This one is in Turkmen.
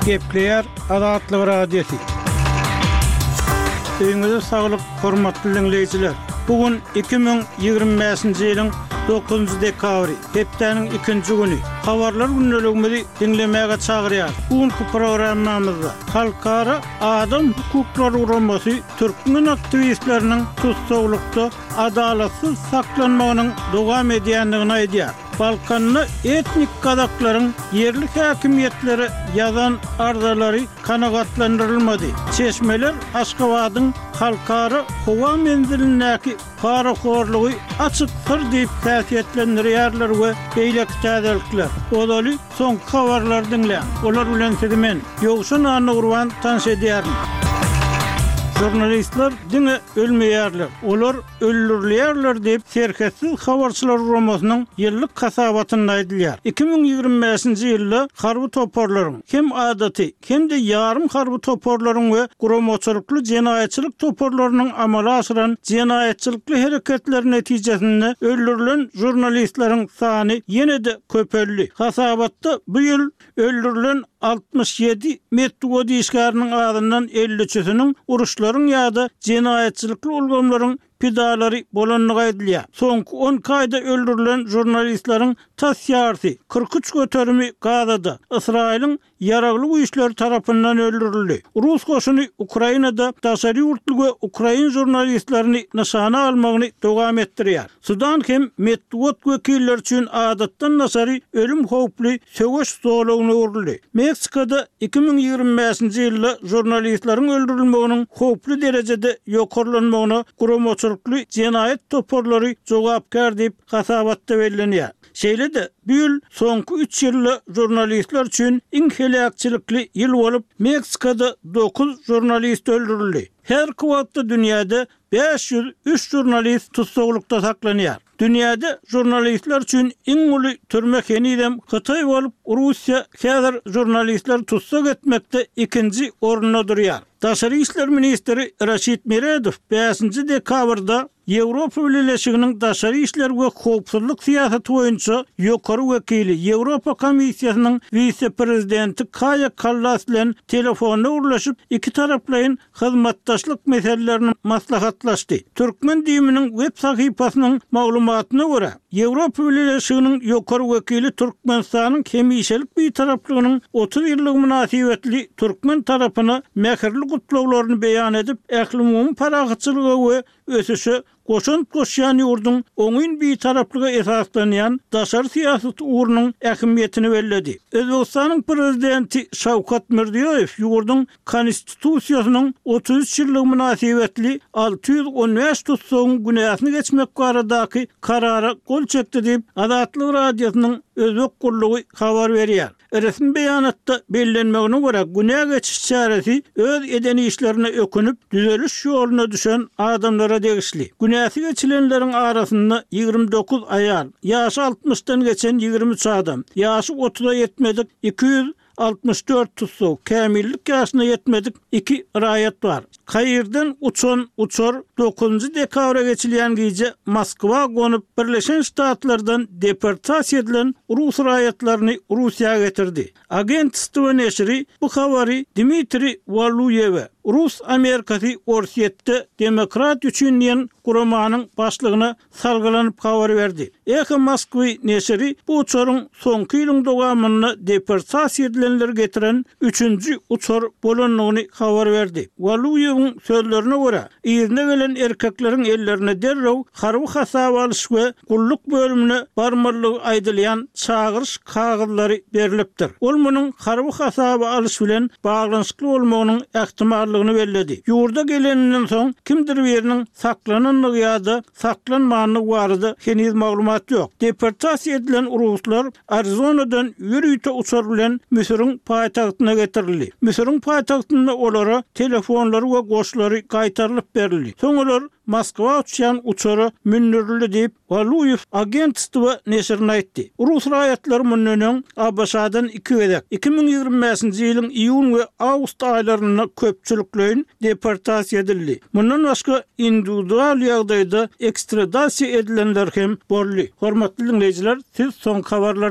Gepleýär Azatlyk Radiosy. Öýüňize saglyk, hormatly diňleýjiler! Bu gün 2025-nji ýylyň dokuzynjy dekabry, hepdäniň ikinji güni. Habarlar gündeligimizi diňlemäge çagyrýarys. Bu günki programmamyzda Halkara adam hukuklary guramasy türkmen aktiwistleriniň tussaglykda adalatsyz saklanmagynyň dowam edýändigini aýdýar. Balkanda etnik gazaklaryň ýerli häkimiýetlere ýazan arzalary kanagatlandyrylmady. Çeşmeler Aşgabadyň Halkara howa menzilindäki parahorlugy açyk syr diýip häsiýetlendirýärler we beýleki täzelikler. Ozaly soňky habarlary diňläň. Olar bilen sizi men, Ýowşan Annagurban tanyş edýärin. Žurnalistler diňe ölmeýärler, olar öldürilýärler diýip, Serhetsiz habarçylar guramasynyň ýyllyk hasabatynda aýdylýar. 2025-nji ýylda harby toparlaryň, hem adaty, hem-de ýarym harby toparlaryň we guramaçylykly jenaýatçylyk toparlarynyň amala aşyran jenaýatçylykly hereketleri netijesinde öldürilen žurnalistleriň sany ýene-de köpeldi. Hasabatda bu ýyl öldürilen 67 metbugat işgäriniň azyndan elli üçüsiniň uruşlaryň ýa-da jenaýatçylykly ulgamlaryň pidalary bolandygy aýdylýar. Soňky on iki aýda öldürilen žurnalistleriň tas ýarysy, 43 göterimi Gazada, Ysraýylyň Ýaragly güýçleri tarapyndan öldürildi. Rus goşuny Ukrainada daşary ýurtly we ukrain žurnalistlerini nyşana almagyny dowam etdirýär. Sudan hem metbugat wekilleri üçin adatdan daşary ölüm howply söweş zolagyna öwrüldi. Meksikada 2025-nji ýylda žurnalistleriň öldürilmeginiň howply derejede ýokarlanmagyna guramaçylykly jenaýat toparlary jogapkär diýip hasabatda bellenýär. Şeýle-de, bu ýyl soňky üç ýylda žurnalistler üçin iň heläkçilikli ýyl bolup, Meksikada dokuz žurnalist öldürildi. Häzirki wagtda dünýäde 503 žurnalist tussaglykda saklanýar. Dünýäde žurnalistler üçin iň uly türme henizem Hytaý bolup, Russiýa häzir žurnalistleri tussag etmekde ikinji orunda durýar. Daşary işler ministri Raşid Meredow bäşinji dekabrda Ýewropa Bileleşiginiň daşary işler we howpsuzlyk syýasaty boýunça ýokary wekili, Ýewropa Komissiýasynyň wise-prezidenti Kaýa Kallas bilen telefonda gürleşip, ikitaraplaýyn hyzmatdaşlyk meselelerini maslahatlaşdy. Türkmen DIM-niň web sahypasynyň maglumatyna görä, Ýewropa Bileleşiginiň ýokary wekili Türkmenistanyň hemişelik Bitaraplygynyň 30 ýyllygy mynasybetli türkmen tarapyna mähirli gutlaglaryny beýan edip, ählumumy parahatçylyga we ösüşe goşant goşýan ýurduň oňyn bitaraplyga esaslanýan daşary syýasat ugrunyň ähmiýetini belledi. Özbegistanyň Prezidenti Şawkat Mirziýoýew ýurduň Konstitusiýasynyň 33 ýyllygy mynasybetli 615 tussagyň günäsini geçmek baradaky Karara gol çekdi diýip, Azatlyk Radiosynyň Özbek gullugy habar berýär. Resmi beýanatda bellenmegine görä, günä geçiş çäresi öz eden işlerine ökünip, düzeliş ýoluna düşen adamlara degişli. Günäsi geçilenleriň arasynda 29 aýal, ýaşy altmyşdan geçen 23 adam, ýaşy otuza ýetmedik 264 tussag, kämillik ýaşyna ýetmedik iki raýat bar. Kairden uçan uçar dokuzynjy dekabra geçilýän gije Moskwa gonup, Birleşen Ştatlardan deportasiýa edilen rus raýatlaryny Russiýa getirdi. Agentstwo neşiri bu habary Dmitriý Waluýewe, Rus Amerikasy Orsýetde demokratiýa üçin diýen guramanyň başlygyna salgylanyp habar berdi. Eho Moskwy neşiri bu uçaryň soňky ýylyň dowamynda deportasiýa edilenleri getiren üçünji uçar bolandygyny habar berdi. Waluýewiň sözlerine görä, yzyna gelen erkekleriň ellerine derrew harby hasaba alyş we gulluk bölümine barmalydygy aýdylýan çagyryş kagyzlary berlipdir. Ol munuň harby hasaba alyş bilen baglanyşykly bolmagynyň ähtimallygyny belledi. Ýurda geleninden soň kimdir biriniň saklanandygy ýa-da saklanmandygy barada heniz maglumat ýok. Deportasiýa edilen ruslar Arizonadan ýörite uçar bilen Müsüriň paýtagtyna getirildi. Müsüriň paýtagtynda olara telefonlary we goşlary gaýtarylyp berildi. Soň olar Moskwa uçýan uçara mündürildi diýip, Waluýew Agentstwo neşirine aýtdy. Rus raýatlary mundan öň ABŞ-dan iki gezek, 2025-nji ýylyň iýun we awgust aýlarynda köpçülikleýin deportasiýa edildi. Mundan başga, indiwidual ýagdaýda ekstradasiýa edilenler hem boldy. Hormatly diňleýjiler, siz soňky habarlary.